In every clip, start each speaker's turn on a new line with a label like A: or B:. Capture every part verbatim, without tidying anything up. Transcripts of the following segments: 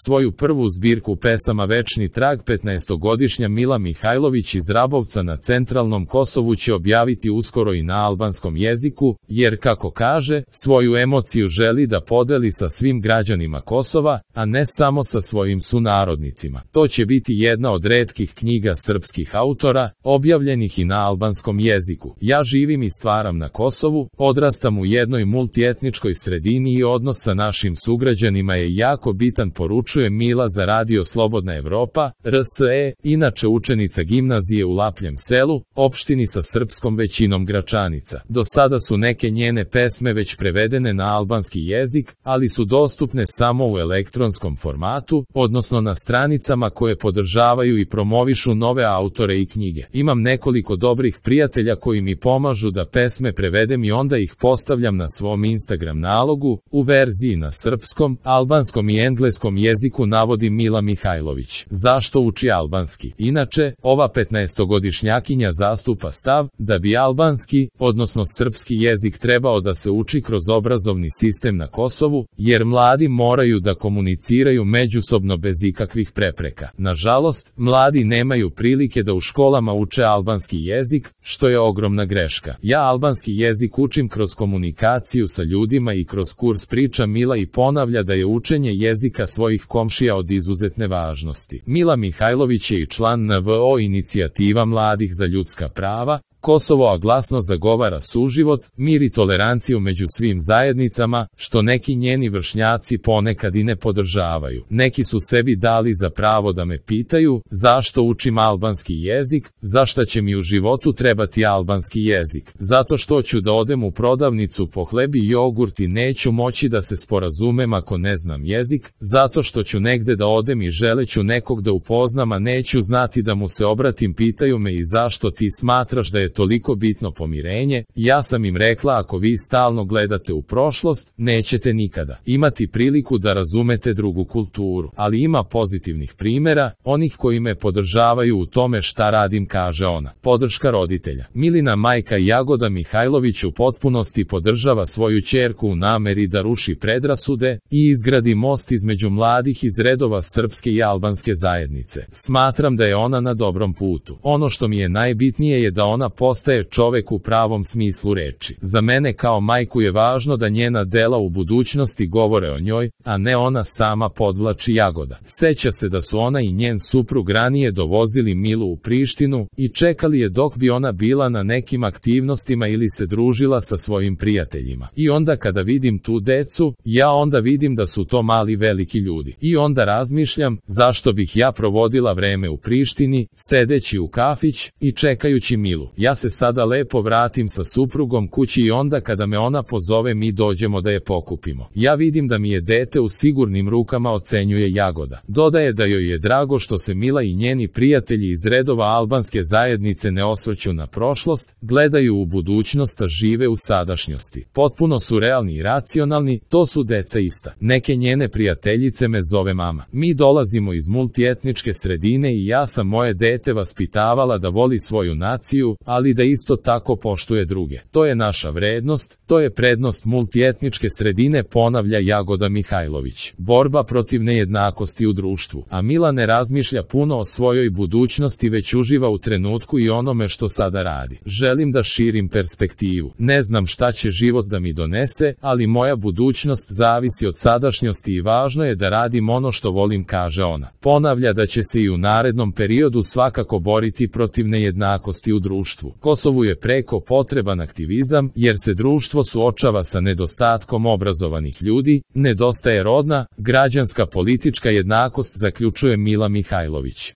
A: Svoju prvu zbirku pesama Večni trag petnaestogodišnja Mila Mihajlović iz Rabovca na centralnom Kosovu će objaviti uskoro i na albanskom jeziku, jer, kako kaže, svoju emociju želi da podeli sa svim građanima Kosova, a ne samo sa svojim sunarodnicima. To će biti jedna od retkih knjiga srpskih autora, objavljenih i na albanskom jeziku. Ja živim i stvaram na Kosovu, odrastam u jednoj multietničkoj sredini i odnos sa našim sugrađanima je jako bitan, poručuje Mila za radio Slobodna Evropa, R S E, inače učenica gimnazije u Lapljem selu, opštini sa srpskom većinom Gračanica. Do sada su neke njene pesme već prevedene na albanski jezik, ali su dostupne samo u elektronskom formatu, odnosno na stranicama koje podržavaju i promovišu nove autore i knjige. Imam nekoliko dobrih prijatelja koji mi pomažu da pesme prevedem i onda ih postavljam na svom Instagram nalogu, u verziji na srpskom, albanskom i engleskom jeziku, navodi Mila Mihajlović. Zašto uči albanski? Inače, ova petnaestogodišnjakinja zastupa stav da bi albanski, odnosno srpski jezik trebao da se uči kroz obrazovni sistem na Kosovu, jer mladi moraju da komuniciraju međusobno bez ikakvih prepreka. Nažalost, mladi nemaju prilike da u školama uče albanski jezik, što je ogromna greška. Ja albanski jezik učim kroz komunikaciju sa ljudima i kroz kurs, priča Mila i ponavlja da je učenje jezika svojih komšija od izuzetne važnosti. Mila Mihajlović je i član N V O inicijativa mladih za ljudska prava Kosovo, a glasno zagovara suživot, mir i toleranciju među svim zajednicama, što neki njeni vršnjaci ponekad i ne podržavaju. Neki su sebi dali za pravo da me pitaju zašto učim albanski jezik, zašta će mi u životu trebati albanski jezik. Zato što ću da odem u prodavnicu po hleb i jogurt i neću moći da se sporazumem ako ne znam jezik, zato što ću negde da odem i želeću nekog da upoznam, a neću znati da mu se obratim, pitaju me i zašto ti smatraš da je toliko bitno pomirenje. Ja sam im rekla, ako vi stalno gledate u prošlost, nećete nikada imati priliku da razumete drugu kulturu. Ali ima pozitivnih primjera, onih koji me podržavaju u tome šta radim, kaže ona. Podrška roditelja. Milina majka Jagoda Mihajlović u potpunosti podržava svoju ćerku u nameri da ruši predrasude i izgradi most između mladih iz redova srpske i albanske zajednice. Smatram da je ona na dobrom putu. Ono što mi je najbitnije je da ona postaje čovek u pravom smislu reči. Za mene kao majku je važno da njena dela u budućnosti govore o njoj, a ne ona sama, podvlači Jagoda. Seća se da su ona i njen suprug ranije dovozili Milu u Prištinu i čekali je dok bi ona bila na nekim aktivnostima ili se družila sa svojim prijateljima. I onda kada vidim tu decu, ja onda vidim da su to mali veliki ljudi. I onda razmišljam, zašto bih ja provodila vreme u Prištini, sedeći u kafić i čekajući Milu. Ja se sada lepo vratim sa suprugom kući i onda kada me ona pozove mi dođemo da je pokupimo. Ja vidim da mi je dete u sigurnim rukama, ocenjuje Jagoda. Dodaje da joj je drago što se Mila i njeni prijatelji iz redova albanske zajednice ne osvrću na prošlost, gledaju u budućnost, a žive u sadašnjosti. Potpuno su realni i racionalni, to su deca ista. Neke njene prijateljice me zove mama. Mi dolazimo iz multietničke sredine i ja sam moje dete vaspitavala da voli svoju naciju, ali da isto tako poštuje druge. To je naša vrednost, to je prednost multietničke sredine, ponavlja Jagoda Mihajlović. Borba protiv nejednakosti u društvu. A Mila ne razmišlja puno o svojoj budućnosti, već uživa u trenutku i onome što sada radi. Želim da širim perspektivu. Ne znam šta će život da mi donese, ali moja budućnost zavisi od sadašnjosti i važno je da radim ono što volim, kaže ona. Ponavlja da će se i u narednom periodu svakako boriti protiv nejednakosti u društvu. Kosovu je preko potreban aktivizam, jer se društvo suočava sa nedostatkom obrazovanih ljudi, nedostaje rodna, građanska, politička jednakost, zaključuje Mila Mihajlović.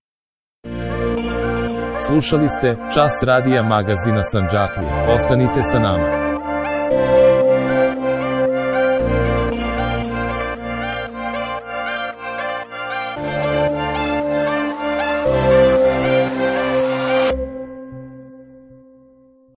A: Slušali ste Čas radija magazina Sandžaklija. Ostanite sa nama.